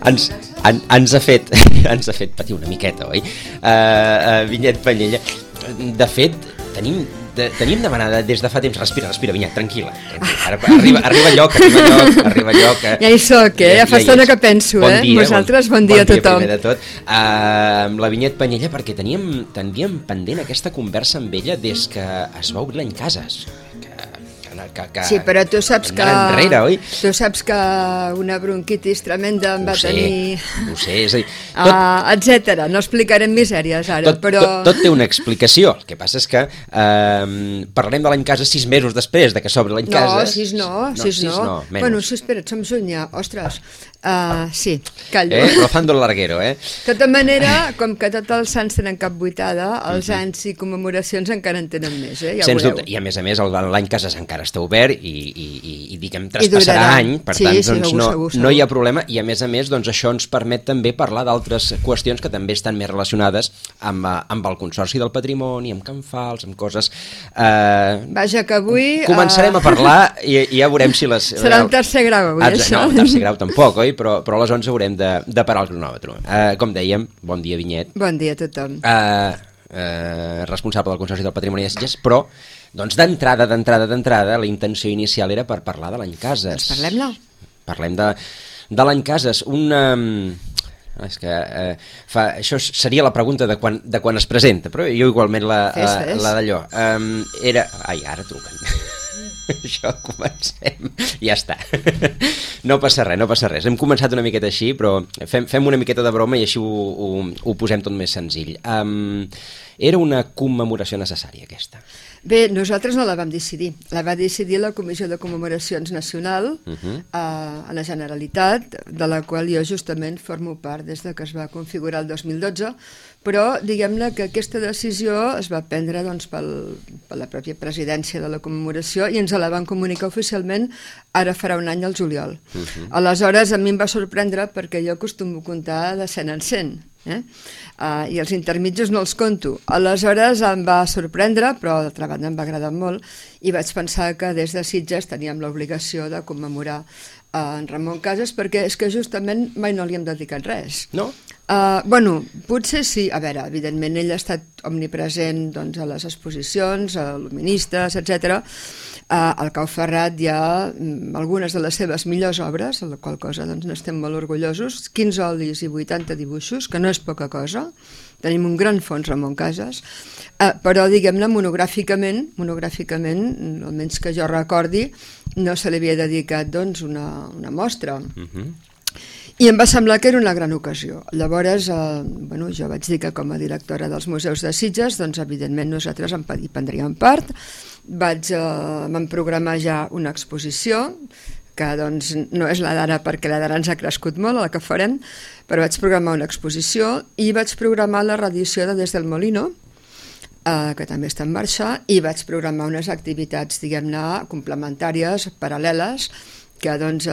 ens ha fet patir una miqueta, oi? Vinyet Panyella. De fet, tenim demanada des de fa temps. Respira, Vinyet, tranquil·la. Arriba lloc. Ja hi soc, ja fa estona que penso, bon dia, vosaltres, bon dia a tothom. Primer de tot. La Vinyet Panyella, perquè teníem pendent aquesta conversa amb ella des que es va obrir l'any Cases. Sí, però tu saps que... Enrere, oi? Tu saps que una bronquitis tremenda em va tenir... Ho sé, és a dir... etcètera, no explicarem misèries ara, però... Tot té una explicació, el que passa és que parlarem de l'any Cases 6 mesos després de que s'obre l'any Cases... No, 6 no. Bueno, sí, espera't, som juny ja, ostres. Sí, callo. Rozando el larguero, De tota manera, com que tots els sants tenen cap buitada, els anys i commemoracions encara en tenen més, ja Sens dubte, i a més l'any Cases encara està obert i diguem, traspassarà any, per tant, doncs no hi ha problema, i a més, doncs això ens permet també parlar d'altres qüestions que també estan més relacionades amb el Consorci del Patrimoni, amb Can Fals, amb coses... Vaja, que avui... Començarem a parlar i ja veurem si les... Serà el tercer grau, avui, això? No, el tercer grau tampoc, oi? Però a les 11 haurem de parar el cronòmetre. Com dèiem, bon dia, Vinyet. Bon dia a tothom. Responsable del Consorci del Patrimoni de Sitges, però doncs d'entrada, la intenció inicial era per parlar de l'any Cases. Doncs parlem-ne. Parlem de l'any Cases, és que això seria la pregunta de quan es presenta, però jo igualment la d'allò. Ara truquen. Això, comencem. Ja està. No passa res. Hem començat una miqueta així, però fem una miqueta de broma i així ho posem tot més senzill. Era una commemoració necessària, aquesta? Bé, nosaltres no la vam decidir. La va decidir la Comissió de Commemoracions Nacional a la Generalitat, de la qual jo justament formo part des que es va configurar el 2012, però diguem-ne que aquesta decisió es va prendre per la pròpia presidència de la commemoració i ens la van comunicar oficialment ara farà un any al juliol. Aleshores a mi em va sorprendre perquè jo acostumo a comptar de 100 en 100, i els intermitjos no els conto. Aleshores em va sorprendre, però d'altra banda em va agradar molt i vaig pensar que des de Sitges teníem l'obligació de commemorar en Ramon Cases, perquè és que justament mai no li hem dedicat res. No? Bueno, potser sí. A veure, evidentment ell ha estat omnipresent a les exposicions, a luministes, etc. Al Cau Ferrat hi ha algunes de les seves millors obres, de la qual cosa n'estem molt orgullosos, 15 olis i 80 dibuixos, que no és poca cosa. Tenim un gran fons Ramon Cases, però diguem-ne monogràficament, almenys que jo recordi, no se li havia dedicat una mostra. I em va semblar que era una gran ocasió. Llavors, jo vaig dir que com a directora dels museus de Sitges, evidentment nosaltres hi prendríem part. Vam programar ja una exposició, que no és la d'ara perquè la d'ara ens ha crescut molt, la que farem, però vaig programar una exposició i vaig programar la reedició de Des del Molino, que també està en marxa, i vaig programar unes activitats, diguem-ne, complementàries, paral·leles, que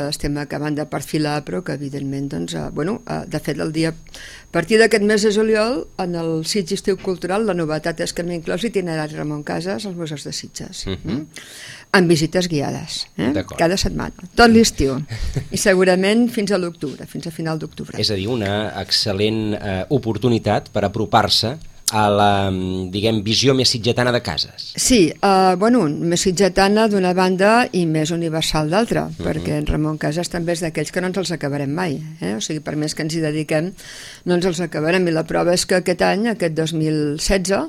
estem acabant de perfilar, però que evidentment, de fet, a partir d'aquest mes de juliol, en el Sitges Estiu Cultural, la novetat és que hem inclòs itinerari Ramon Cases als museus de Sitges, amb visites guiades, cada setmana, tot l'estiu, i segurament fins a l'octubre, fins a final d'octubre. És a dir, una excel·lent oportunitat per apropar-se a la, diguem, visió més sitgetana de Cases. Sí, més sitgetana d'una banda i més universal d'altra, perquè en Ramon Cases també és d'aquells que no ens els acabarem mai, o sigui, per més que ens hi dediquem, no ens els acabarem, i la prova és que aquest any, aquest 2016,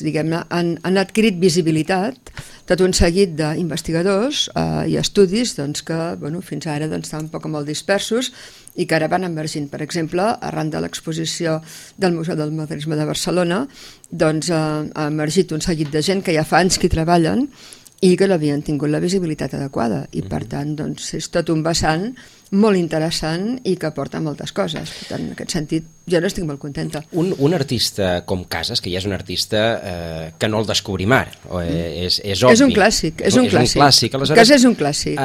diguem-ne, han adquirit visibilitat tot un seguit d'investigadors i estudis que fins ara estaven un poc molt dispersos i que ara van emergint. Per exemple, arran de l'exposició del Museu del Modernisme de Barcelona, ha emergit un seguit de gent que ja fa anys que hi treballen i que no havien tingut la visibilitat adequada, i per tant és tot un vessant molt interessant i que aporta moltes coses. Per tant, en aquest sentit, jo n'estic molt contenta. Un artista com Cases, que ja és un artista que no el descobrim ara, és obvi. És un clàssic, és un clàssic. Cases és un clàssic.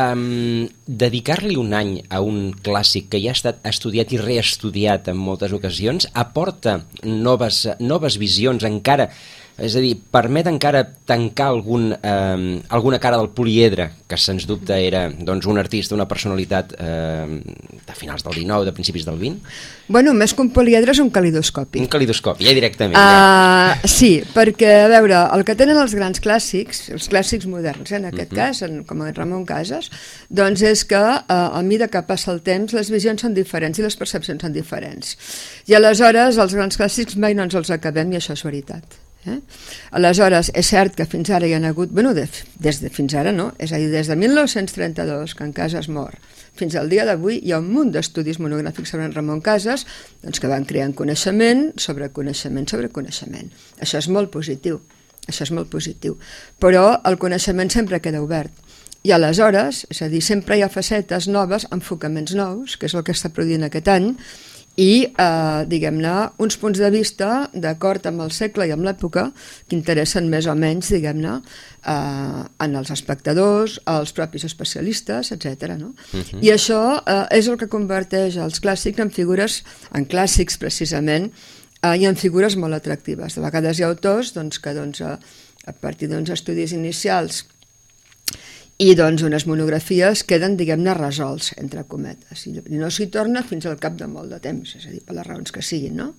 Dedicar-li un any a un clàssic que ja ha estat estudiat i reestudiat en moltes ocasions aporta noves visions encara És a dir, permet encara tancar alguna cara del poliedre, que sens dubte era doncs, un artista, una personalitat de finals del XIX, de principis del XX? Bueno, més que un poliedre és un calidoscopi. Un calidoscopi, ja directament. Sí, perquè, a veure, el que tenen els grans clàssics, els clàssics moderns, en aquest cas, com en Ramon Casas, doncs és que a mesura que passa el temps les visions són diferents i les percepcions són diferents. I aleshores els grans clàssics mai no ens els acabem i això és veritat. Aleshores, és cert que fins ara hi ha hagut, bueno, des de fins ara no, és a dir, des de 1932, que en Casas mor, fins al dia d'avui hi ha un munt d'estudis monogràfics sobre en Ramon Casas, doncs que van creant coneixement sobre coneixement sobre coneixement. Això és molt positiu, però el coneixement sempre queda obert. I aleshores, és a dir, sempre hi ha facetes noves, enfocaments nous, que és el que està produint aquest any, i, diguem-ne, uns punts de vista d'acord amb el segle i amb l'època que interessen més o menys, diguem-ne, en els espectadors, als propis especialistes, etc. No? I això és el que converteix els clàssics en figures, en clàssics precisament, i en figures molt atractives. De vegades hi ha autors que a partir d'uns estudis inicials i doncs unes monografies queden, diguem-ne, resolts, entre cometes, i no s'hi torna fins al cap de molt de temps, és a dir, per les raons que siguin, no?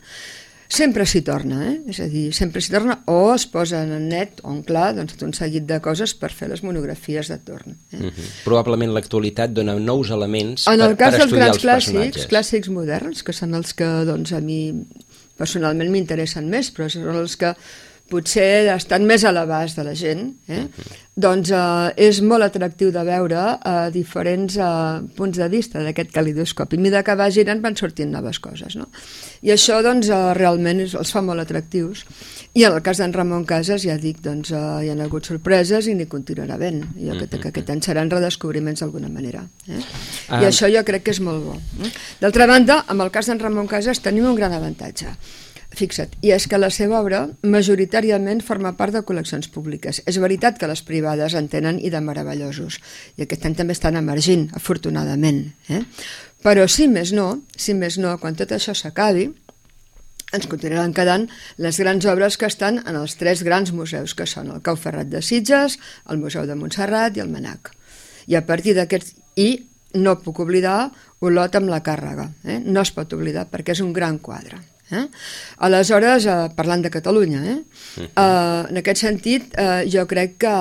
Sempre s'hi torna, és a dir, sempre s'hi torna, o es posen en net o en clar doncs, un seguit de coses per fer les monografies de torn. Probablement l'actualitat dona nous elements per estudiar els personatges. En el cas dels grans clàssics moderns, que són els que doncs, a mi personalment m'interessen més, però són els que potser estan més a l'abast de la gent, doncs és molt atractiu de veure diferents punts de vista d'aquest calidoscopi. A mesura que va girant van sortint noves coses, no? I això doncs realment els fa molt atractius. I en el cas d'en Ramon Casas, ja dic, doncs hi ha hagut sorpreses i n'hi continuarà havent. Jo crec que aquest any seran redescobriments d'alguna manera. I això jo crec que és molt bo. D'altra banda, amb el cas d'en Ramon Casas tenim un gran avantatge. Fixa't, i és que la seva obra majoritàriament forma part de col·leccions públiques. És veritat que les privades en tenen i de meravellosos, i aquest any també estan emergint, afortunadament. Però si més no, quan tot això s'acabi, ens continuaran quedant les grans obres que estan en els 3 grans museus, que són el Cau Ferrat de Sitges, el Museu de Montserrat i el Mnac. I a partir d'aquests... I no puc oblidar Olot amb la Càrrega. No es pot oblidar perquè és un gran quadre. Aleshores, parlant de Catalunya, en aquest sentit jo crec que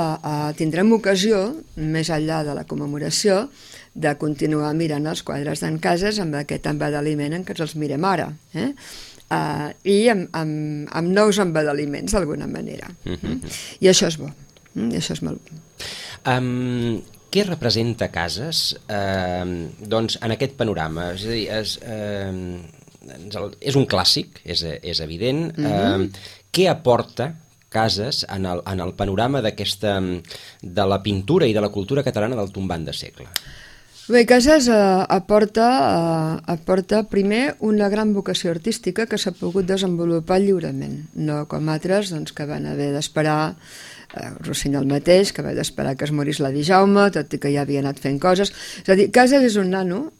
tindrem ocasió, més enllà de la commemoració, de continuar mirant els quadres d'en Casas amb aquest embadaliment en què ens els mirem ara, i amb nous embadaliments d'alguna manera. I això és bo, i això és molt bo. Què representa Casas doncs, en aquest panorama? És a dir, és un clàssic, és evident. Què aporta Casas en el panorama de la pintura i de la cultura catalana del tombant de segle? Bé, Casas aporta primer una gran vocació artística que s'ha pogut desenvolupar lliurement, no com altres que van haver d'esperar, Rossinyol mateix, que va d'esperar que es morís l'avi Jaume, tot i que ja havia anat fent coses. És a dir, Casas és un nano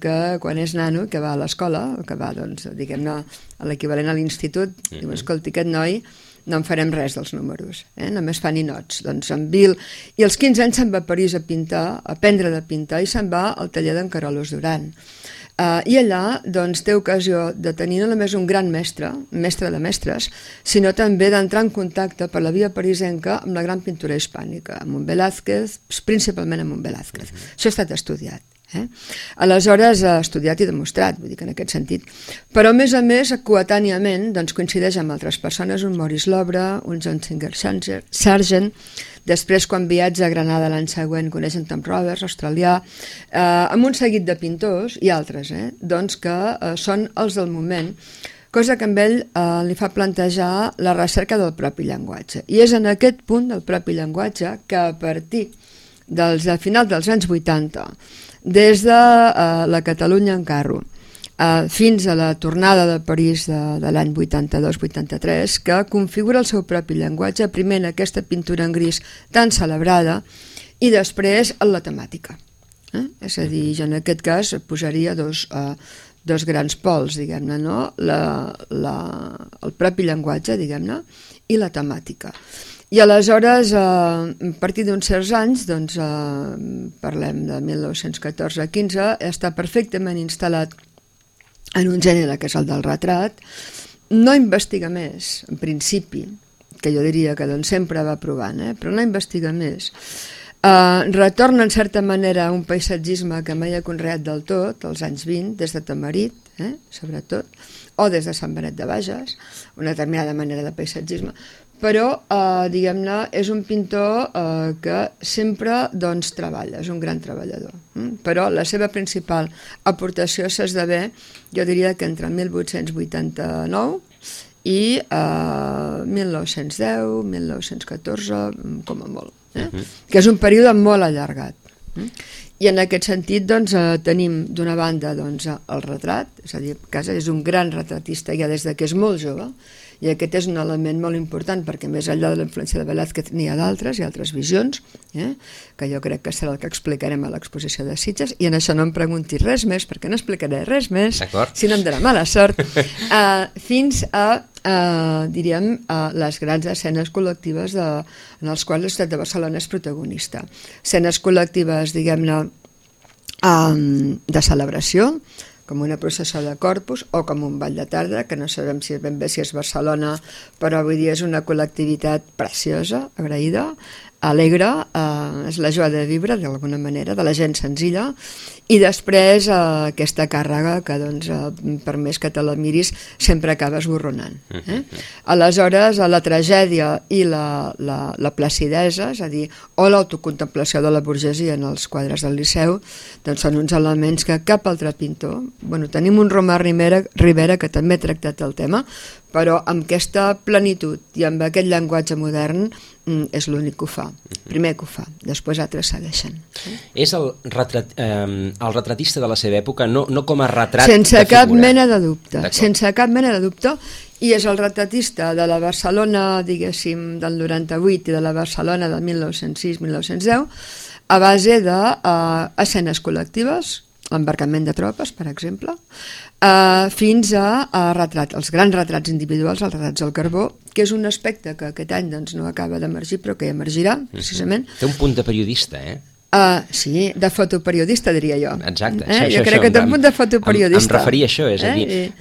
que quan és nano, que va a l'escola, que va, diguem-ne, a l'equivalent a l'institut, diu, escolti, aquest noi no en farem res dels números, només fa ninots. Doncs en Bill, i als 15 anys se'n va a París a pintar, a aprendre de pintar, i se'n va al taller d'en Carolus Duran. I allà doncs, té ocasió de tenir no només un gran mestre de mestres, sinó també d'entrar en contacte per la via parisenca amb la gran pintura hispànica, amb un Velázquez, principalment amb un Velázquez. Això ha estat estudiat. Aleshores ha estudiat i demostrat, vull dir que en aquest sentit. Però a més, coetàniament doncs, coincideix amb altres persones, un Maurice Lobre, un John Singer Sargent. Després, quan viatja a Granada l'any següent, coneix en Tom Roberts, australià, amb un seguit de pintors i altres, doncs que són els del moment, cosa que amb ell li fa plantejar la recerca del propi llenguatge. I és en aquest punt del propi llenguatge que a partir del final dels anys 80, des de la Catalunya en carro fins a la tornada de París de l'any 82-83, que configura el seu propi llenguatge, primer en aquesta pintura en gris tan celebrada i després en la temàtica. És a dir, jo en aquest cas posaria dos dos grans pols, diguem-ne, no? El propi llenguatge, diguem-ne, i la temàtica. I aleshores, a partir d'uns certs anys, doncs, parlem de 1914-15, està perfectament instal·lat en un gènere que és el del retrat, no investiga més, en principi, que jo diria que doncs, sempre va provant, però no investiga més. Retorna en certa manera a un paisatgisme que mai ha conreat del tot, als anys 20, des de Tamarit, sobretot, o des de Sant Benet de Bages, una determinada manera de paisatgisme, però, diguem-ne, és un pintor que sempre doncs, treballa, és un gran treballador. Però la seva principal aportació s'esdevé, jo diria que entre 1889 i 1910, 1914, com a molt, que és un període molt allargat. I en aquest sentit doncs, tenim d'una banda doncs, el retrat, és a dir, Casas és un gran retratista ja des que és molt jove, i aquest és un element molt important perquè més enllà de la influència de Velázquez n'hi ha d'altres i altres visions, que jo crec que serà el que explicarem a l'exposició de Sitges, i en això no em preguntis res més perquè no explicaré res més, si no em donarà mala sort, fins a diríem, les grans escenes col·lectives en les quals la ciutat de Barcelona és protagonista. Escenes col·lectives, diguem-ne, de celebració, com una processó de Corpus o com un ball de tarda, que no sabem si ben bé si és Barcelona, però avui dia és una col·lectivitat preciosa, agraïda, alegre, és la joia de viure d'alguna manera, de la gent senzilla, i després aquesta càrrega que doncs, per més que te la miris sempre acaba esborronant. Aleshores la tragèdia i la placidesa, és a dir, o l'autocontemplació de la burgesia en els quadres del Liceu, doncs són uns elements que cap altre pintor, tenim un Romà Rivera que també ha tractat el tema, però amb aquesta plenitud i amb aquest llenguatge modern és l'únic que ho fa, primer que ho fa, després altres segueixen. És el retratista de la seva època, no com a retrat sense de cap figura. Mena de dubte, sense cap mena de dubte, i és el retratista de la Barcelona, diguéssim, del 98 i de la Barcelona del 1906-1910, a base d'escenes col·lectives, l'embarcament de tropes, per exemple, fins a retrat, els grans retrats individuals, els retrats al carbó, que és un aspecte que aquest any doncs, no acaba d'emergir, però que emergirà, precisament. Té un punt de periodista, sí, de fotoperiodista, diria jo. Exacte. Jo crec que té un punt de fotoperiodista. Em referia a això, és a dir,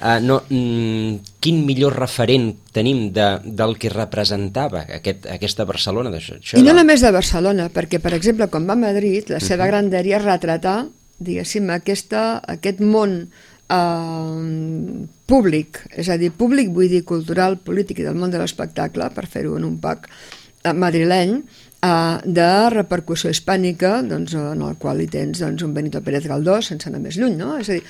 quin millor referent tenim del que representava aquesta Barcelona. I no només de Barcelona, perquè, per exemple, quan va a Madrid, la seva gran dèria és retratar, diguéssim, aquest món públic, és a dir, públic vull dir cultural, polític i del món de l'espectacle, per fer-ho en un pack madrileny, de repercussió hispànica, doncs, en el qual hi tens doncs, un Benito Pérez Galdós, sense anar més lluny, no? És a dir,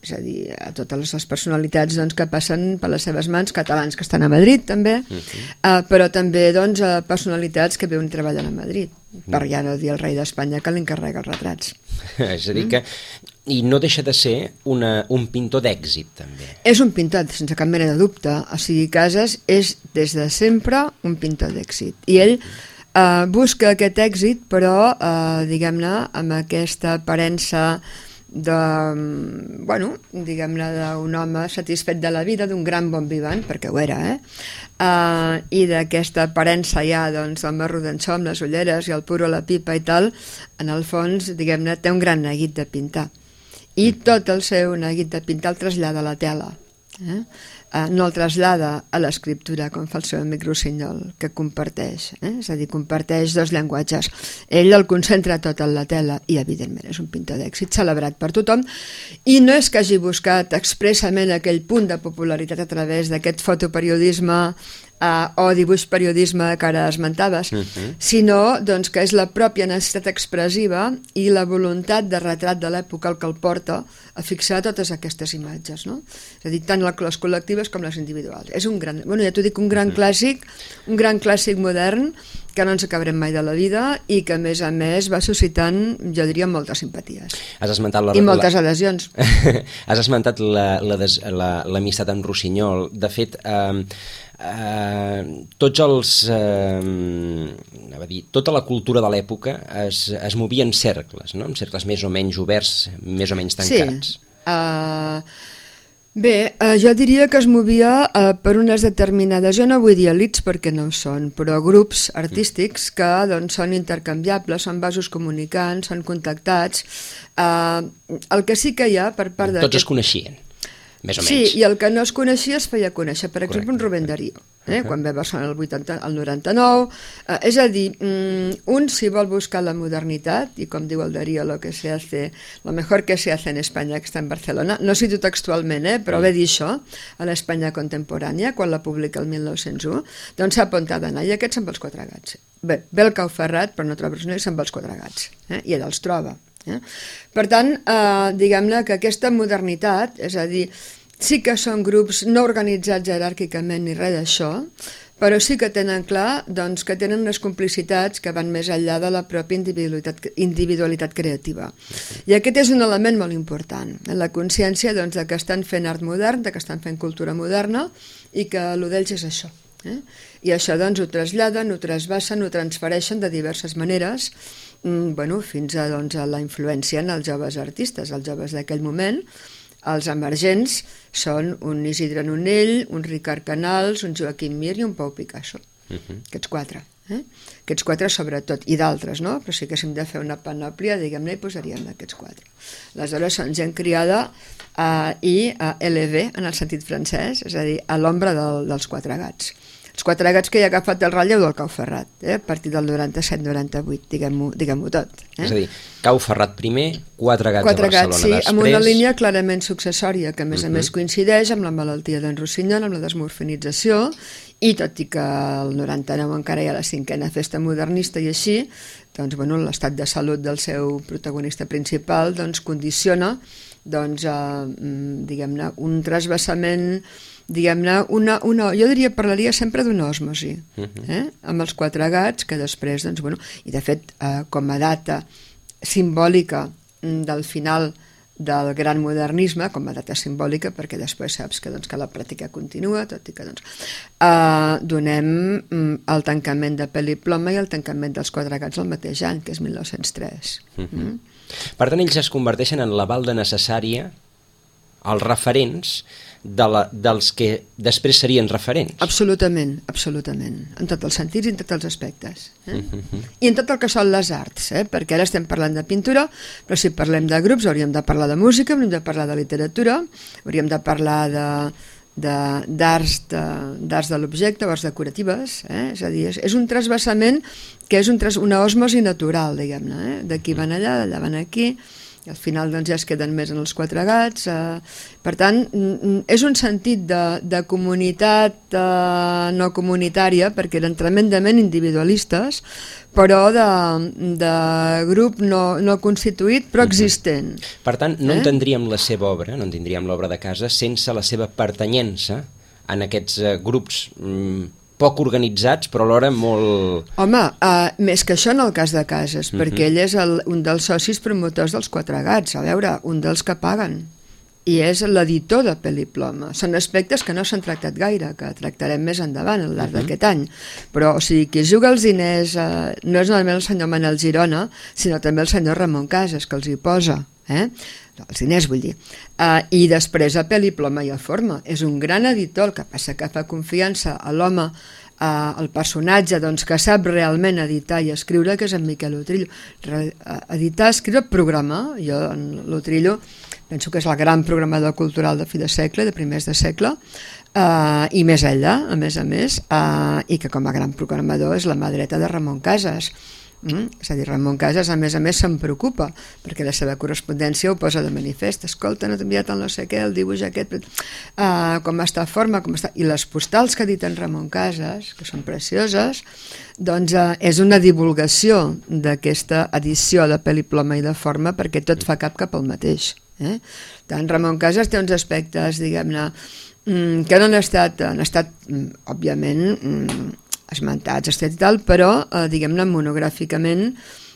és a dir, a totes les personalitats doncs, que passen per les seves mans, catalans que estan a Madrid també, però també doncs, personalitats que viuen treballant a Madrid, per ja no dir el rei d'Espanya que li encarrega els retrats. És a dir que i no deixa de ser un pintor d'èxit, també. És un pintor, sense cap mena de dubte. O sigui, Casas és, des de sempre, un pintor d'èxit. I ell busca aquest èxit, però, diguem-ne, amb aquesta aparença diguem-ne, d'un home satisfet de la vida, d'un gran bon vivant, perquè ho era, i d'aquesta aparença ja, doncs, home rodanxó amb les ulleres i el puro a la pipa i tal, en el fons, diguem-ne, té un gran neguit de pintar. I tot el seu neguit de pintar el trasllada a la tela. No el trasllada a l'escriptura, com fa el seu amic Rossinyol, que comparteix, és a dir, comparteix dos llenguatges. Ell el concentra tot en la tela i, evidentment, és un pintor d'èxit celebrat per tothom, i no és que hagi buscat expressament aquell punt de popularitat a través d'aquest fotoperiodisme o dibuix periodisme que ara esmentaves, sinó doncs, que és la pròpia necessitat expressiva i la voluntat de retrat de l'època el que el porta a fixar totes aquestes imatges. No? És a dir, tant les col·lectives col·lectives com les individuals. És un gran, ja t'ho dic, un gran clàssic modern que no ens acabarem mai de la vida i que a més va suscitant, jo diria, moltes simpaties. I moltes adhesions. Has esmentat l'amistat amb Rossinyol. De fet, tota la cultura de l'època es movia en cercles, no? En cercles més o menys oberts, més o menys tancats. Sí. Bé, jo diria que es movia per unes determinades, jo no vull dir elits perquè no ho són, però grups artístics que doncs, són intercanviables, són vasos comunicants, són contactats. El que sí que hi ha per part Tots es coneixien, més o menys. Sí, i el que no es coneixia es feia conèixer. Per exemple, un Rubén Darío, quan ve a Barcelona el 99. És a dir, un si vol buscar la modernitat, i com diu el Darío, lo mejor que se hace en España que està en Barcelona, no cito textualment, però ve dir això, a l'Espanya contemporània, quan la publica el 1901, doncs s'ha apuntat d'anar, i aquests se'n va els Quatre Gats. Bé, ve el Cau Ferrat, però no troba res, se'n va els Quatre Gats, i ell els troba. Per tant, diguem-ne que aquesta modernitat, és a dir, sí que són grups no organitzats jeràrquicament ni res d'això, però sí que tenen clar doncs, que tenen unes complicitats que van més enllà de la pròpia individualitat creativa. I aquest és un element molt important, la consciència doncs, de que estan fent art modern, de que estan fent cultura moderna i que el d'ells és això. I això doncs, ho traslladen, ho trasbassen, ho transfereixen de diverses maneres, fins a la influència en els joves artistes, els joves d'aquell moment. Els emergents són un Isidre Nonell, un Ricard Canals, un Joaquim Mir i un Pau Picasso. Aquests quatre. Aquests quatre sobretot, i d'altres, no? Però si haguéssim de fer una panòplia, diguem-ne, hi posaríem aquests quatre. Aleshores són gent criada i LV, en el sentit francès, és a dir, a l'ombra dels Quatre Gats. Els Quatre Gats que hi ha agafat el relleu del Cau Ferrat, a partir del 97-98, diguem-ho tot. És a dir, Cau Ferrat primer, Quatre Gats a Barcelona després... Sí, amb una línia clarament successòria, que a més coincideix amb la malaltia d'en Rossinyol, amb la desmorfinització, i tot i que el 99 encara hi ha la 5ª festa modernista i així, doncs, l'estat de salut del seu protagonista principal condiciona diguem-ne, un trasbassament, diguem-ne, jo parlaria sempre d'una osmosi, amb els Quatre Gats, que després, i de fet, com a data simbòlica del final del gran modernisme, com a data simbòlica, perquè després saps que la pràctica continua, tot i que donem el tancament de Peli Ploma i el tancament dels Quatre Gats el mateix any, que és 1903. Per tant, ells es converteixen en la balda necessària, els referents dels que després serien referents. Absolutament, en tots els sentits i en tots els aspectes. I en tot el que són les arts, perquè ara estem parlant de pintura, però si parlem de grups hauríem de parlar de música, hauríem de parlar de literatura, hauríem de parlar d'arts de l'objecte o arts decoratives, és a dir, és un trasbassament que és una osmosi natural, diguem-ne, d'aquí van allà, d'allà van aquí, i al final ja es queden més en els Quatre Gats. Per tant, és un sentit de comunitat no comunitària, perquè eren tremendament individualistes, però de grup no constituït, però existent. Per tant, no entendríem la seva obra, no entendríem l'obra de casa, sense la seva pertanyença en aquests grups poc organitzats, però alhora molt... Home, més que això en el cas de Casas, perquè ell és un dels socis promotors dels Quatre Gats, a veure, un dels que paguen, i és l'editor de Peli Ploma. Són aspectes que no s'han tractat gaire, que tractarem més endavant al llarg d'aquest any, però o sigui, qui juga els diners no és només el senyor Manel Girona, sinó també el senyor Ramon Casas, que els hi posa, els diners vull dir, i després a Peli Ploma i a Forma. És un gran editor, el que passa que fa confiança a l'home, al personatge que sap realment editar i escriure, que és en Miquel Utrillo. Editar, escriure, programar. Jo en l'Utrillo penso que és el gran programador cultural de fi de segle, de primers de segle, i més enllà, a més, i que com a gran programador és la mà dreta de Ramon Casas. És a dir, Ramon Casas a més se'n preocupa, perquè la seva correspondència ho posa de manifest. Escolta, no t'he enviat el no sé què, el dibuix aquest, com està Forma, com està... I les postals que ha dit en Ramon Casas, que són precioses, doncs és una divulgació d'aquesta edició de Peli Ploma i de Forma, perquè tot fa cap al mateix. Tant Ramon Casas té uns aspectes, diguem-ne, que no han estat òbviament, esmentats, i tal, però, diguem-ne, monogràficament,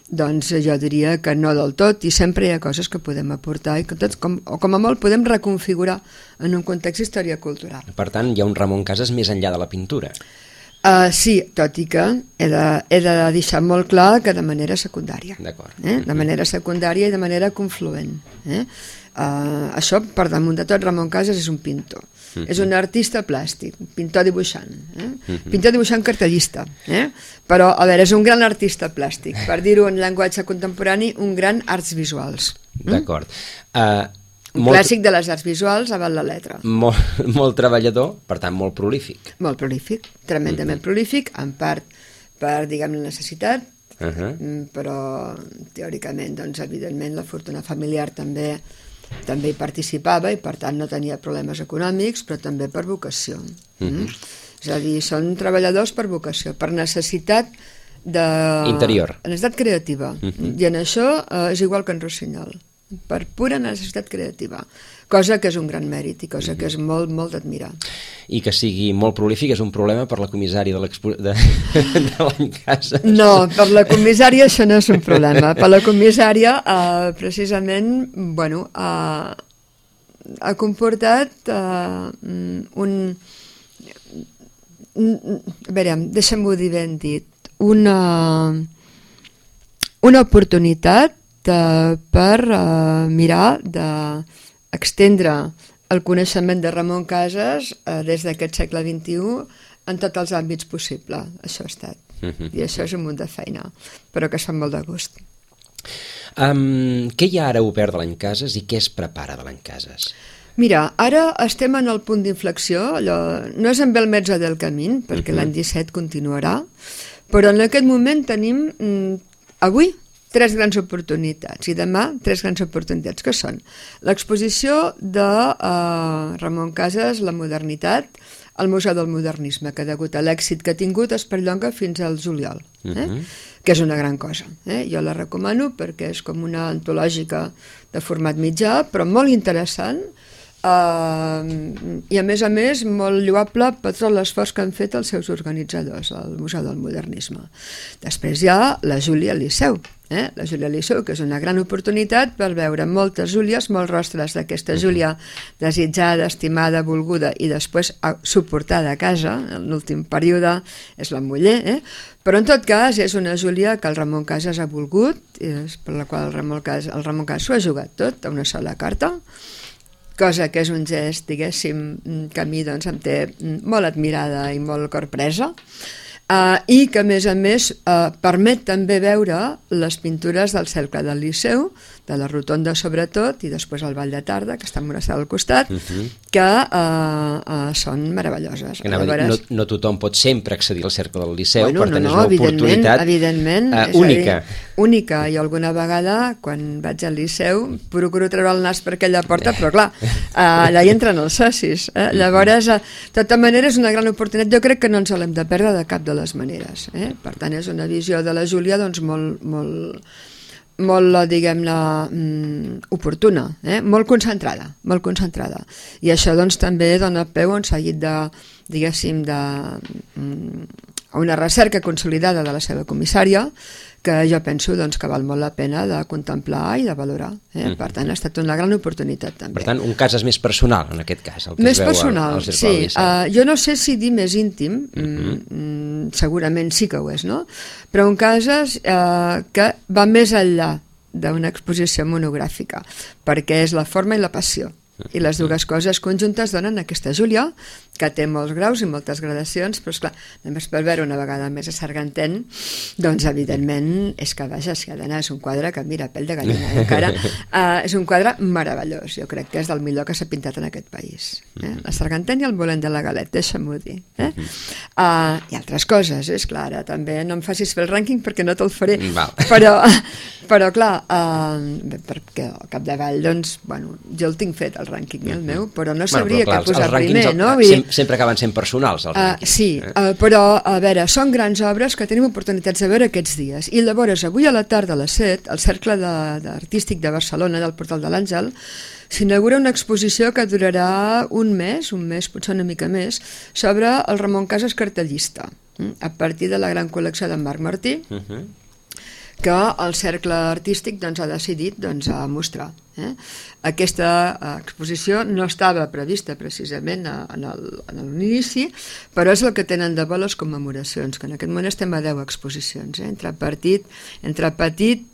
doncs jo diria que no del tot, i sempre hi ha coses que podem aportar i que tots, o com a molt podem reconfigurar en un context d'història cultural. Per tant, hi ha un Ramon Casas més enllà de la pintura. Sí, tot i que he de deixar molt clar que de manera secundària. D'acord. De manera secundària i de manera confluent. Això, per damunt de tot, Ramon Casas és un pintor. És un artista plàstic, pintor dibuixant. Pintor dibuixant cartellista. Però, a veure, és un gran artista plàstic. Per dir-ho en llenguatge contemporani, un gran arts visuals. D'acord. Un clàssic de les arts visuals a la letra. Molt treballador, per tant, molt prolífic. Molt prolífic, tremendament prolífic, en part per, diguem, la necessitat, però teòricament, doncs, evidentment, la fortuna familiar també hi participava i, per tant, no tenia problemes econòmics, però també per vocació. És a dir, són treballadors per vocació, per necessitat interior. Necessitat creativa. I en això és igual que en Rossinyol, per pura necessitat creativa, cosa que és un gran mèrit i cosa que és molt, molt d'admirar. I que sigui molt prolífic és un problema per la comissària de l'any Casas? No, per la comissària això no és un problema. Per la comissària, precisament, bueno, ha comportat un... A veure, deixa'm-ho dir ben dit, una oportunitat per mirar d'extendre el coneixement de Ramon Casas des d'aquest segle XXI en tots els àmbits possibles. Això ha estat. I això és un munt de feina, però que es fa molt de gust. Què hi ha ara obert de l'any Casas i què es prepara de l'any Casas? Mira, ara estem en el punt d'inflexió, no és en el mezzo del camí, perquè l'any 17 continuarà, però en aquest moment tenim, avui, 3 grans oportunitats, i demà 3 grans oportunitats, que són l'exposició de Ramon Casas, La modernitat, al Museu del Modernisme, que degut a l'èxit que ha tingut es perllonga fins al juliol, que és una gran cosa. Jo la recomano perquè és com una antològica de format mitjà, però molt interessant, i a més molt lloable per tot l'esforç que han fet els seus organitzadors al Museu del Modernisme. Després hi ha la Júlia Liceu, la Júlia Liceu, que és una gran oportunitat per veure moltes Júlies, molts rostres d'aquesta Júlia desitjada, estimada, volguda i després suportada a casa, en l'últim període és la muller, però en tot cas és una Júlia que el Ramon Casas ha volgut, per la qual el Ramon Casas s'ho ha jugat tot a una sola carta, cosa que és un gest, diguéssim, que a mi doncs, em té molt admirada i molt corpresa, i que a més permet també veure les pintures del cercle del Liceu, de la Rotonda sobretot, i després el Ball de Tarda, que està en una sala al costat, que són meravelloses. No tothom pot sempre accedir al cercle del Liceu, per tant és una oportunitat única. Única, i alguna vegada quan vaig al Liceu procuro treure el nas per aquella porta, però clar, allà hi entren els socis. Llavors, de tota manera, és una gran oportunitat. Jo crec que no ens l'hem de perdre de cap de les maneres. Per tant, és una visió de la Júlia doncs, molt, diguem-ne, oportuna, molt concentrada. I això doncs, també dona peu a un seguit de, diguéssim, a una recerca consolidada de la seva comissària, que jo penso doncs, que val molt la pena de contemplar i de valorar. Per tant, ha estat una gran oportunitat també. Per tant, un cas és més personal, en aquest cas. Més personal, sí. Jo no sé si dir més íntim, segurament sí que ho és, no? Però un cas que va més enllà d'una exposició monogràfica, perquè és la forma i la passió. I les dues coses conjuntes donen aquesta Júlia, que té molts graus i moltes gradacions, però esclar, només per veure una vegada més a Sargantén, doncs evidentment és que, vaja, si ha d'anar, és un quadre que, mira, pell de gallina, encara, és un quadre meravellós, jo crec que és del millor que s'ha pintat en aquest país. La Sargantén i el Volent de la Galet, deixa'm-ho dir. I altres coses, és clar, ara també no em facis fer el rànquing perquè no te'l faré, però clar, perquè al capdavall, doncs, bueno, jo el tinc fet, el rànquing, el meu, però no sabria què posar primer, no? sempre acaben sent personals, els rànquings. Sí, però, a veure, són grans obres que tenim oportunitats de veure aquests dies. I llavors, avui a la tarda a les 7, al Cercle Artístic de Barcelona, del Portal de l'Àngel, s'inaugura una exposició que durarà un mes, potser una mica més, sobre el Ramon Casas cartellista, a partir de la gran col·lecció d'en Marc Martí, que el Cercle Artístic ha decidit mostrar. Aquesta exposició no estava prevista precisament en l'inici, però és el que tenen de bo les commemoracions, que en aquest moment estem a 10 exposicions, entre petit,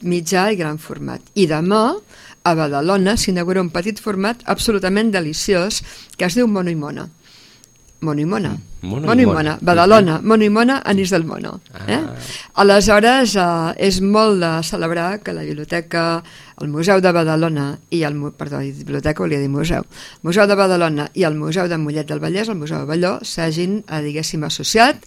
mitjà i gran format. I demà, a Badalona, s'inaugura un petit format absolutament deliciós que es diu Mono i Mona. Mono i Mona. Badalona, Mono i Mona, Anís del Mono. Aleshores, és molt de celebrar que la biblioteca, el Museu de Badalona i el Museu de Badalona i el Museu de Mollet del Vallès, el Museu de Balló, s'hagin, diguéssim, associat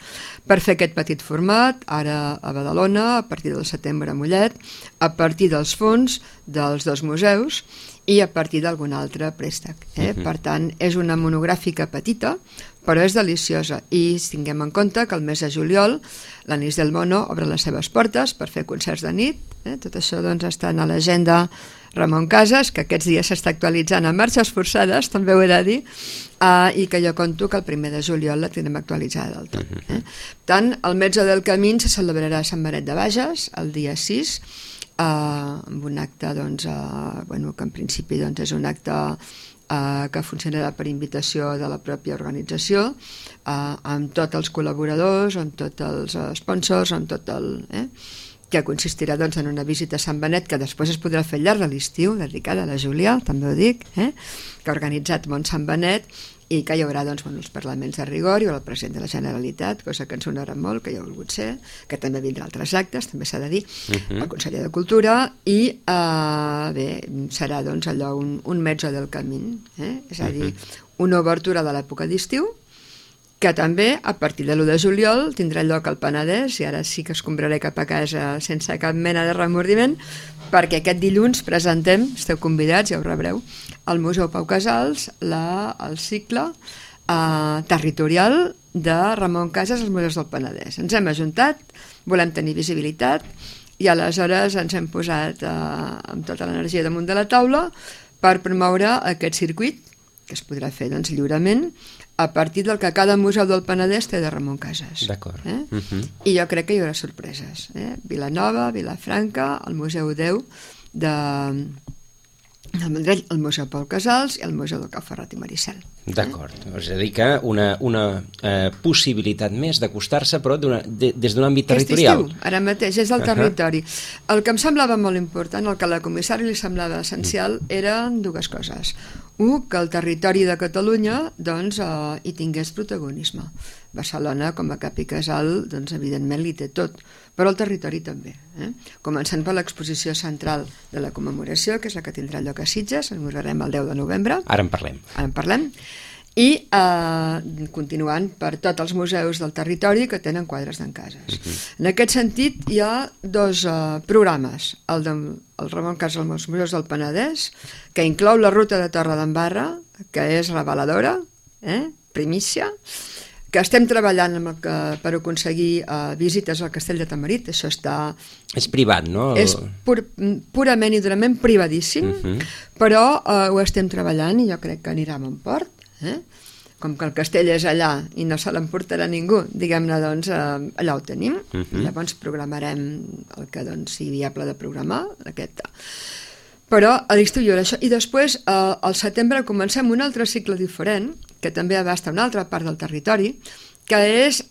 per fer aquest petit format, ara a Badalona, a partir del setembre a Mollet, a partir dels fons dels dos museus i a partir d'algun altre préstec. Per tant, és una monogràfica petita, però és deliciosa. I tinguem en compte que el mes de juliol l'Anís del Mono obre les seves portes per fer concerts de nit. Tot això està a l'agenda Ramon Casas, que aquests dies s'està actualitzant a marxes forçades, també ho he de dir, i que jo conto que el 1 de juliol la tindrem actualitzada del tot. Tant, el Mezzo del Camín se celebrarà a Sant Benet de Bages el dia 6, amb un acte que en principi és un acte que funcionarà per invitació de la pròpia organització, amb tots els col·laboradors, amb tots els sponsors, amb tot el... que consistirà en una visita a Sant Benet, que després es podrà fer al llarg de l'estiu, dedicada a la Júlia, també ho dic, que ha organitzat Mont Sant Benet, i que hi haurà els parlaments de rigor, hi haurà el president de la Generalitat, cosa que ens sonarà molt, que hi ha volgut ser, que també vindrà altres actes, també s'ha de dir, el conseller de Cultura, i serà allò un mezzo del camí, és a dir, una obertura de l'època d'estiu, que també a partir de l'1 de juliol tindrà lloc al Penedès, i ara sí que escombraré cap a casa sense cap mena de remordiment, perquè aquest dilluns presentem, esteu convidats, ja ho rebreu, al Museu Pau Casals el cicle territorial de Ramon Casas als Museus del Penedès. Ens hem ajuntat, volem tenir visibilitat, i aleshores ens hem posat amb tota l'energia damunt de la taula per promoure aquest circuit, que es podrà fer lliurement, a partir del que cada museu del Penedès té de Ramon Casas. D'acord. I jo crec que hi haurà sorpreses. Vilanova, Vilafranca, el Museu 10 del Vendrell, el Museu Pau Casals i el Museu del Cau Ferrat i Maricel. D'acord. És a dir que una possibilitat més d'acostar-se, però des d'un àmbit territorial. Ara mateix, és del territori. El que em semblava molt important, el que a la comissària li semblava essencial, eren dues coses. Que el territori de Catalunya hi tingués protagonisme. Barcelona, com a cap i casal, evidentment li té tot, però el territori també. Començant per l'exposició central de la commemoració, que és la que tindrà lloc a Sitges, en veurem el 10 de novembre. Ara en parlem. I continuant per tots els museus del territori que tenen quadres d'en Casas. En aquest sentit, hi ha dos programes. El Ramon Casas als Museus del Penedès, que inclou la ruta de Torredembarra, que és reveladora, primícia, que estem treballant per aconseguir visites al Castell de Tamarit. Això està... És privat, no? És purament i durament privadíssim, però ho estem treballant i jo crec que anirà a bon port. Com que el castell és allà i no se l'emportarà ningú, diguem-ne, allà ho tenim. Llavors programarem el que sigui viable de programar, però a l'estiu hi haurà això. I després, al setembre, comencem un altre cicle diferent, que també abasta una altra part del territori, que és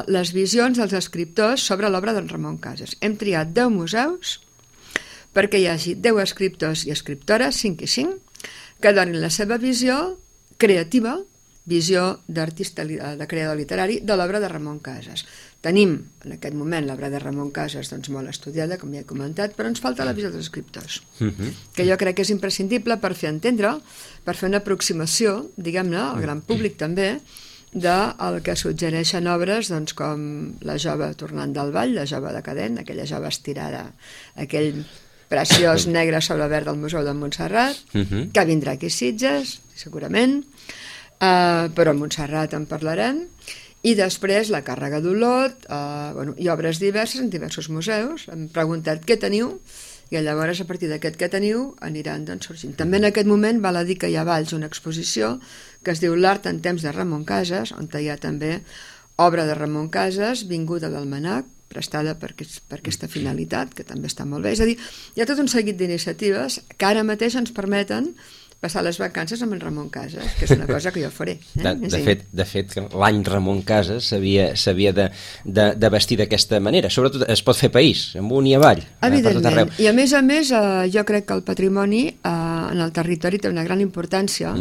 les visions dels escriptors sobre l'obra d'en Ramon Casas. Hem triat 10 museus perquè hi hagi 10 escriptors i escriptores, 5 i 5, que donin la seva visió creativa, visió d'artista, de creador literari, de l'obra de Ramon Casas. Tenim, en aquest moment, l'obra de Ramon Casas molt estudiada, com ja he comentat, però ens falta la visió dels escriptors, que jo crec que és imprescindible per fer entendre, per fer una aproximació, diguem-ne, al gran públic també, del que suggereixen obres com La jove tornant del ball, La jove decadent, aquella jove estirada, aquell preciós negre sobre verd del Museu de Montserrat, que vindrà aquí a Sitges, segurament. però a Montserrat en parlarem. I després la càrrega d'Olot, i obres diverses en diversos museus. Hem preguntat què teniu, i llavors a partir d'aquest que teniu aniran sorgint. També en aquest moment val a dir que hi ha a Valls una exposició que es diu L'art en temps de Ramon Casas, on hi ha també obra de Ramon Casas vinguda d'Almanac, prestada per aquesta finalitat, que també està molt bé. És a dir, hi ha tot un seguit d'iniciatives que ara mateix ens permeten passar les vacances amb en Ramon Casas, que és una cosa que jo faré. De fet, l'any Ramon Casas s'havia de vestir d'aquesta manera. Sobretot es pot fer país, amunt i avall. Evidentment. I a més, jo crec que el patrimoni en el territori té una gran importància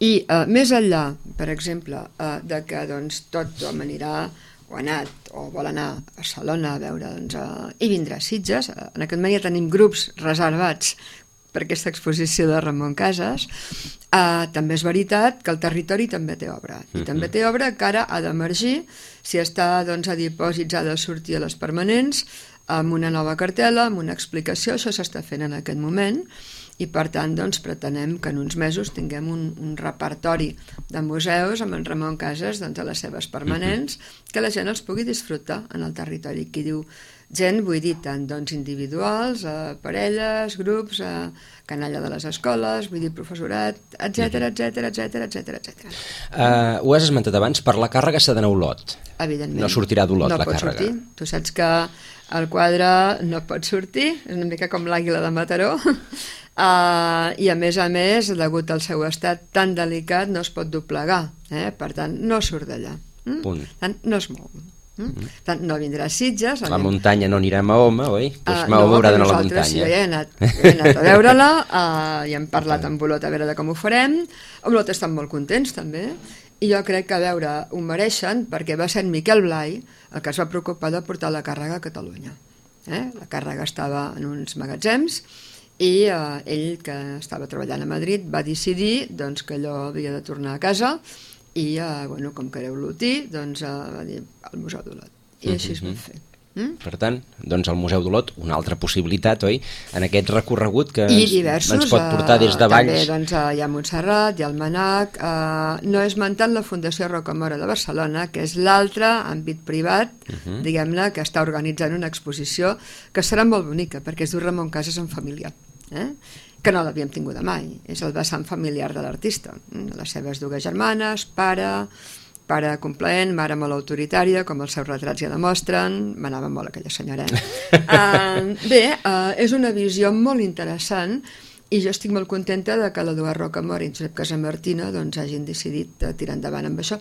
i més enllà, per exemple, de que tothom anirà o ha anat o vol anar a Barcelona a veure i vindrà a Sitges. En aquest moment ja tenim grups reservats per aquesta exposició de Ramon Casas. També és veritat que el territori també té obra, i també té obra que ara ha d'emergir, si està a dipòsits ha de sortir a les permanents, amb una nova cartel·la, amb una explicació. Això s'està fent en aquest moment, i per tant pretenem que en uns mesos tinguem un repertori de museus amb en Ramon Casas a les seves permanents, que la gent els pugui disfrutar en el territori. Qui diu gent, vull dir tant individuals, parelles, grups, canalla de les escoles, vull dir professorat, etcètera. Ho has esmentat abans, per la càrrega s'ha d'anar a Olot. Evidentment. No sortirà d'Olot la càrrega. No pot sortir. Tu saps que el quadre no pot sortir, és una mica com l'àguila de Mataró, i a més, degut al seu estat tan delicat, no es pot doblegar, per tant, no surt d'allà. Punt. Tant, no es mou. Tant, no vindrà a Sitges. La muntanya no anirà a Mahoma, oi? Mahoma haurà d'anar a la muntanya. Sí, jo he anat a veure-la, i hem parlat amb Olot a veure com ho farem. Olot estan molt contents també, i jo crec que ho mereixen, perquè va ser en Miquel Blai el que es va preocupar de portar la càrrega a Catalunya. La càrrega estava en uns magatzems, i ell, que estava treballant a Madrid, va decidir que allò havia de tornar a casa, i com que era olotí, va dir al Museu d'Olot, i així es va fer. Per tant, el Museu d'Olot, una altra possibilitat, oi? En aquest recorregut que ens pot portar des de Valls. També hi ha Montserrat, hi ha Almanac, no esmentant la Fundació Rocamora de Barcelona, que és l'altre àmbit privat, diguem-ne, que està organitzant una exposició que serà molt bonica, perquè es diu Ramon Casas en família, que no l'havíem tinguda mai. És el vessant familiar de l'artista. Les seves dues germanes, pare complaent, mare molt autoritària, com els seus retrats ja demostren. M'anava molt aquella senyora. Bé, és una visió molt interessant, i jo estic molt contenta de que l'Eduard Rocamora i Josep Casamartina hagin decidit tirar endavant amb això.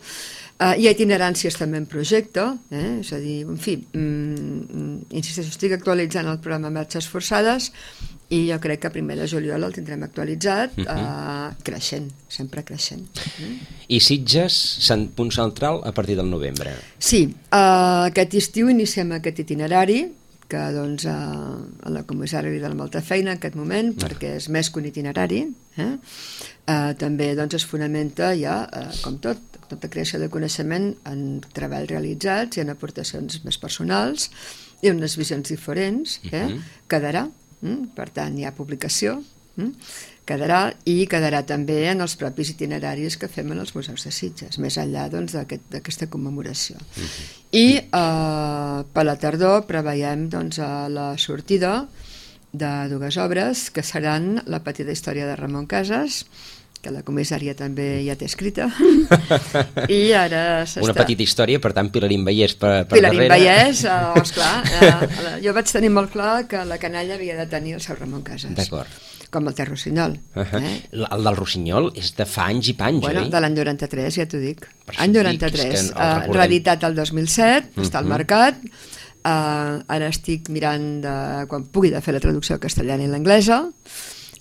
Hi ha itineràncies també en projecte, és a dir, en fi, insisteixo, estic actualitzant el programa Marxes Forçades, i jo crec que a 1 de juliol el tindrem actualitzat, creixent, sempre creixent. I Sitges, punt central a partir del novembre. Sí, aquest estiu iniciem aquest itinerari, que a la comissària li dona molta feina en aquest moment, perquè és més que un itinerari. També es fonamenta ja, com tota creació de coneixement, en treballs realitzats i en aportacions més personals i en unes visions diferents. Quedarà, per tant hi ha publicació, quedarà també en els propis itineraris que fem en els museus de Sitges, més enllà d'aquesta commemoració. I per la tardor preveiem la sortida de dues obres que seran La petita història de Ramon Casas, que la comissària també ja té escrita, i ara s'està... Una petita història, per tant, Pilarín Vallès per darrere. Pilarín Vallès, esclar, jo vaig tenir molt clar que la canalla havia de tenir el seu Ramon Casas. D'acord. Com el té Rossinyol. El del Rossinyol és de fa anys i panys, oi? De l'any 93, ja t'ho dic. Any 93, reeditat el 2007, està al mercat. Ara estic mirant quan pugui de fer la traducció castellana i l'anglesa,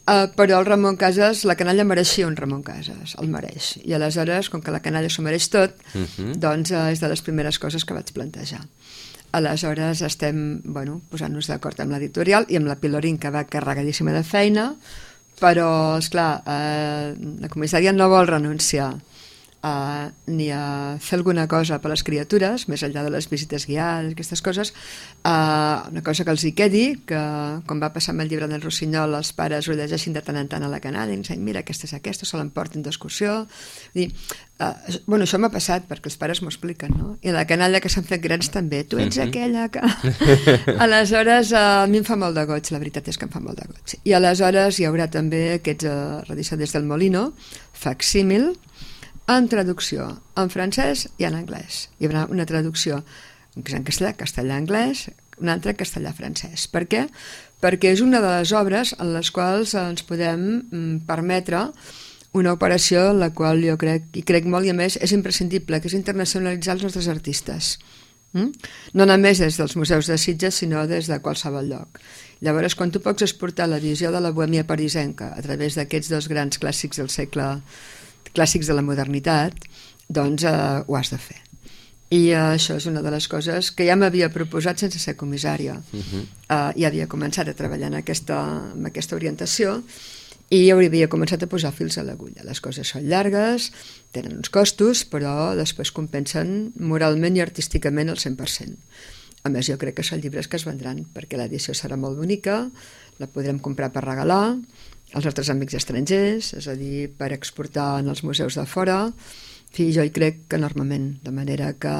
però el Ramon Casas, la canalla mereixia un Ramon Casas, el mereix. I aleshores, com que la canalla s'ho mereix tot, doncs és de les primeres coses que vaig plantejar. Aleshores estem posant-nos d'acord amb l'editorial i amb la Pilarín, que va carregadíssima de feina, però, esclar, la comissària no vol renunciar ni a fer alguna cosa per les criatures, més enllà de les visites guiades, aquestes coses. Una cosa que els hi quedi, que com va passar amb el llibre del Rossinyol, els pares ho llegeixin de tant en tant a la canalla i ens diuen, mira, aquesta és aquesta, se l'emportin d'excursió. Bueno, això m'ha passat perquè els pares m'ho expliquen, no? I a la canalla que s'han fet grans també, tu ets aquella que... Aleshores, a mi em fa molt de goig, la veritat és que em fa molt de goig. I aleshores hi haurà també aquests Radició des del Molino, facsímil, en traducció en francès i en anglès. Hi haurà una traducció en castellà, castellà-anglès, una altra en castellà-francès. Per què? Perquè és una de les obres en les quals ens podem permetre una operació en la qual jo crec molt, i a més és imprescindible, que és internacionalitzar els nostres artistes. No només des dels museus de Sitges, sinó des de qualsevol lloc. Llavors, quan tu pots exportar la visió de la bohèmia parisenca a través d'aquests dos grans clàssics del segle, clàssics de la modernitat, doncs ho has de fer. I això és una de les coses que ja m'havia proposat sense ser comissària. Ja havia començat a treballar en aquesta orientació i havia començat a posar fils a l'agulla. Les coses són llargues, tenen uns costos, però després compensen moralment i artísticament al 100%. A més, jo crec que són llibres que es vendran, perquè l'edició serà molt bonica, la podrem comprar per regalar als nostres amics estrangers, és a dir, per exportar en els museus de fora. En fi, jo hi crec enormement, de manera que,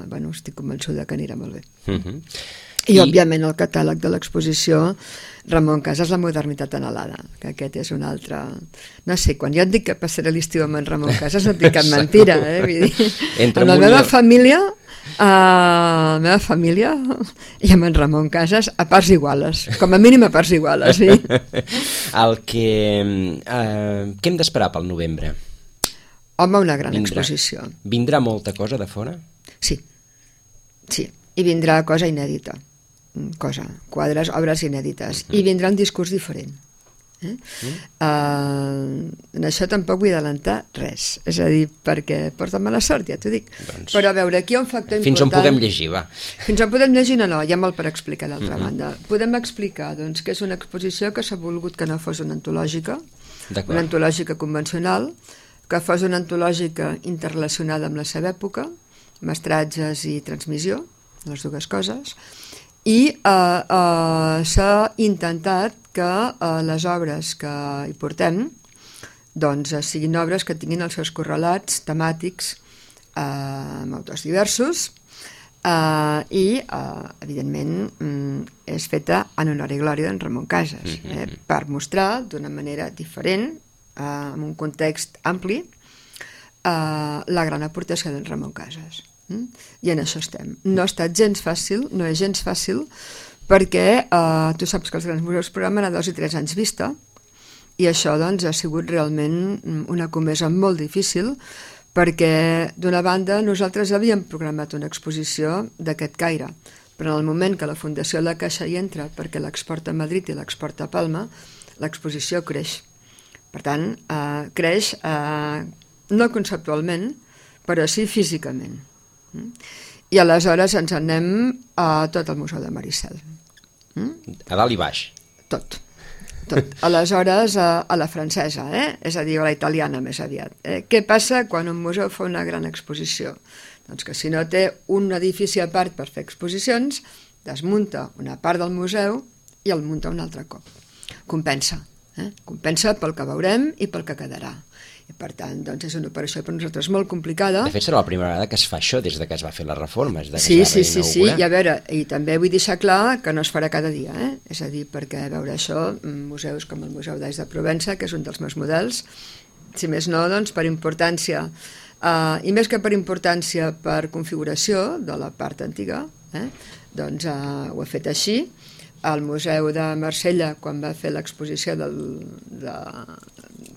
bueno, estic convençuda que anirà molt bé. I, òbviament, el catàleg de l'exposició Ramon Casas, la modernitat anhelada, que aquest és un altre... No sé, quan jo et dic que passaré l'estiu amb en Ramon Casas no et dic cap mentira, Vull dir, amb la meva família i amb en Ramon Casas a parts iguales, com a mínim a parts iguales, sí. Què hem d'esperar pel novembre? Home, una gran exposició. Vindrà molta cosa de fora? Sí, i vindrà cosa inèdita, quadres, obres inèdites, i vindrà un discurs diferent. En això tampoc vull adelantar res, és a dir, perquè porta mala sort, ja t'ho dic. Però a veure, aquí hi ha un factor important. Fins on podem llegir, va. Fins on podem llegir, no, hi ha molt per explicar d'altra banda. Podem explicar doncs, que és una exposició que s'ha volgut que no fos una antològica, una antològica convencional, que fos una antològica interrelacionada amb la seva època, mestratges i transmissió, les dues coses, i s'ha intentat que les obres que hi portem doncs siguin obres que tinguin els seus correlats temàtics amb autors diversos i, evidentment, és feta en honor i glòria d'en Ramon Casas, per mostrar d'una manera diferent, en un context ampli, la gran aportació d'en Ramon Casas. I en això estem. No ha estat gens fàcil, no és gens fàcil, perquè tu saps que els grans museus programen a 2 i 3 anys vista, i això doncs ha sigut realment una comesa molt difícil, perquè d'una banda nosaltres havíem programat una exposició d'aquest caire, però en el moment que la Fundació La Caixa hi entra perquè l'exporta a Madrid i l'exporta a Palma, l'exposició creix. Per tant, creix no conceptualment, però sí físicament. I aleshores ens anem a tot el Museu de Maricel. A dalt i baix. Tot. Aleshores, a la francesa, és a dir, a la italiana més aviat. Què passa quan un museu fa una gran exposició? Doncs que si no té un edifici a part per fer exposicions, desmunta una part del museu i el munta un altre cop. Compensa. Compensa pel que veurem i pel que quedarà. I per tant, doncs és una operació per nosaltres molt complicada. De fet, serà la primera vegada que es fa això des que es va fer la reforma. Sí, i a veure, i també vull deixar clar que no es farà cada dia, és a dir, perquè a veure això, museus com el Museu d'Ais de Provença, que és un dels meus models, si més no, doncs per importància, i més que per importància, per configuració de la part antiga, doncs ho he fet així. Al Museu de Marsella, quan va fer l'exposició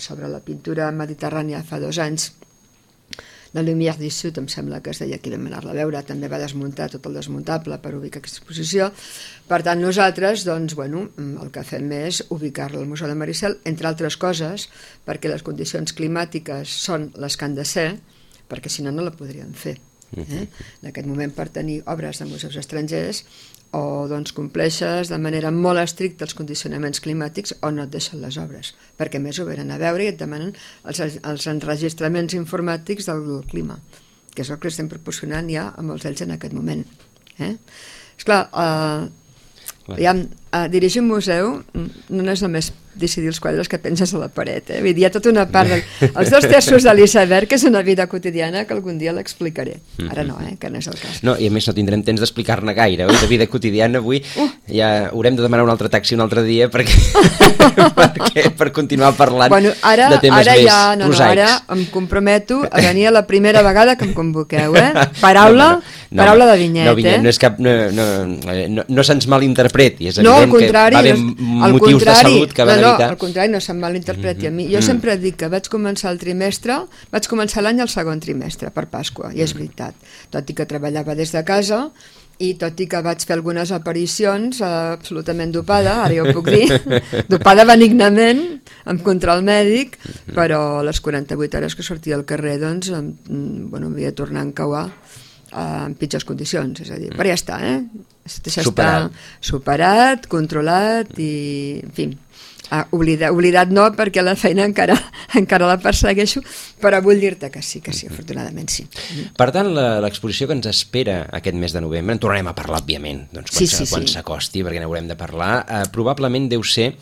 sobre la pintura mediterrània fa 2 anys, la Lumière du Sud, em sembla que es deia, aquí vam anar-la a veure, també va desmuntar tot el desmuntable per ubicar aquesta exposició. Per tant, nosaltres, doncs, bueno, el que fem és ubicar-la al Museu de Maricel, entre altres coses, perquè les condicions climàtiques són les que han de ser, perquè si no, no la podríem fer. En aquest moment per tenir obres de museus estrangers o doncs compleixes de manera molt estricta els condicionaments climàtics o no et deixen les obres, perquè més ho venen a veure i et demanen els enregistraments informàtics del clima, que és el que estem proporcionant ja a molts d'ells en aquest moment. Esclar, dirigir un museu no és només decidir els quadres que penses a la paret, vull dir, hi ha tota una part els 2 terços de l'iceberg, que és una vida quotidiana que algun dia l'explicaré, ara no, que no és el cas. No, i a més no tindrem temps d'explicar-ne gaire, de vida quotidiana avui ja haurem de demanar un altre taxi un altre dia per continuar parlant de temes més prosaics. Ara em comprometo a venir a la primera vegada que em convoqueu, paraula de vinyet. No és cap, no se'ns malinterpreti, és evident que va haver motius de salut que van evitar. No, al contrari, no se'm malinterpreti a mi. Jo sempre dic que vaig començar l'any al segon trimestre, per Pasqua, i és veritat. Tot i que treballava des de casa i tot i que vaig fer algunes aparicions absolutament dopada, ara ja ho puc dir, dopada benignament, amb control mèdic, però a les 48 hores que sortia al carrer, doncs, havia de tornar a encauar en pitjors condicions, és a dir, però ja està, això està superat, controlat i, en fi, oblidat no, perquè la feina encara la persegueixo, però vull dir-te que sí, afortunadament sí. Per tant, l'exposició que ens espera aquest mes de novembre, en tornarem a parlar, òbviament, quan s'acosti, perquè n'haurem de parlar, probablement deu ser,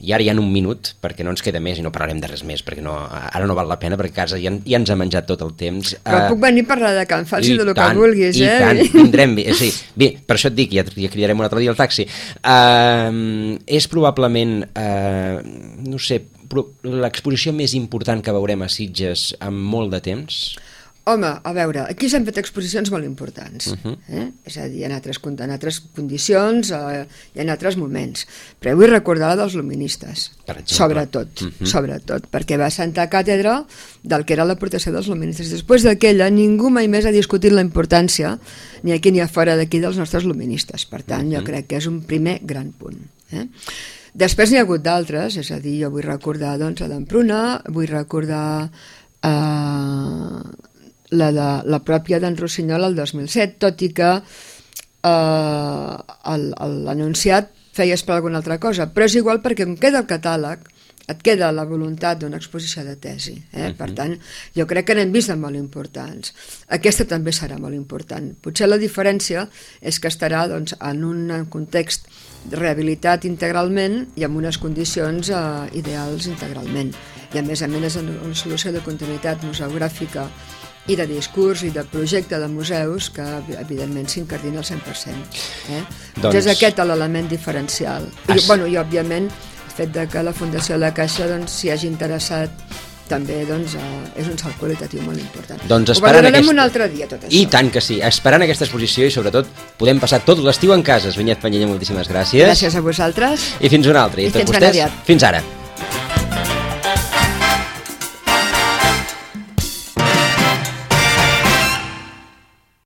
i ara ja en un minut, perquè no ens queda més i no parlarem de res més, perquè ara no val la pena, perquè a casa ja ens ha menjat tot el temps. Però puc venir a parlar de Can Fals i del que vulguis, I tant, vindrem, bé, per això et dic, ja cridarem un altre dia al taxi. És probablement, no sé, l'exposició més important que veurem a Sitges en molt de temps? Home, a veure, aquí s'han fet exposicions molt importants, és a dir, en altres condicions i en altres moments, però vull recordar la dels luministes, sobretot, perquè va sentar càtedra del que era la protecció dels luministes. Després d'aquella, ningú mai més ha discutit la importància, ni aquí ni a fora d'aquí, dels nostres luministes. Per tant, jo crec que és un primer gran punt. Després n'hi ha hagut d'altres, és a dir, jo vull recordar doncs, la d'Empruna, vull recordar la pròpia d'en Rossinyol el 2007, tot i que l'anunciat feia esperar alguna altra cosa, però és igual perquè com queda el catàleg et queda la voluntat d'una exposició de tesi, per tant jo crec que n'hem vist de molt importants. Aquesta també serà molt important, potser la diferència és que estarà doncs, en un context rehabilitat integralment i amb unes condicions ideals integralment, i a més és una solució de continuïtat museogràfica i de discurs i de projecte de museus que evidentment s'incardina al 100%. Doncs és aquest l'element diferencial. I òbviament el fet que la Fundació de la Caixa s'hi hagi interessat també és un salt qualitatiu molt important. Ho valorarem un altre dia, tot això. I tant que sí, esperant aquesta exposició i sobretot podem passar tot l'estiu en casa. Vinyet Penyella, moltíssimes gràcies. Gràcies a vosaltres. I fins una altra. I fins ben aviat. Fins ara.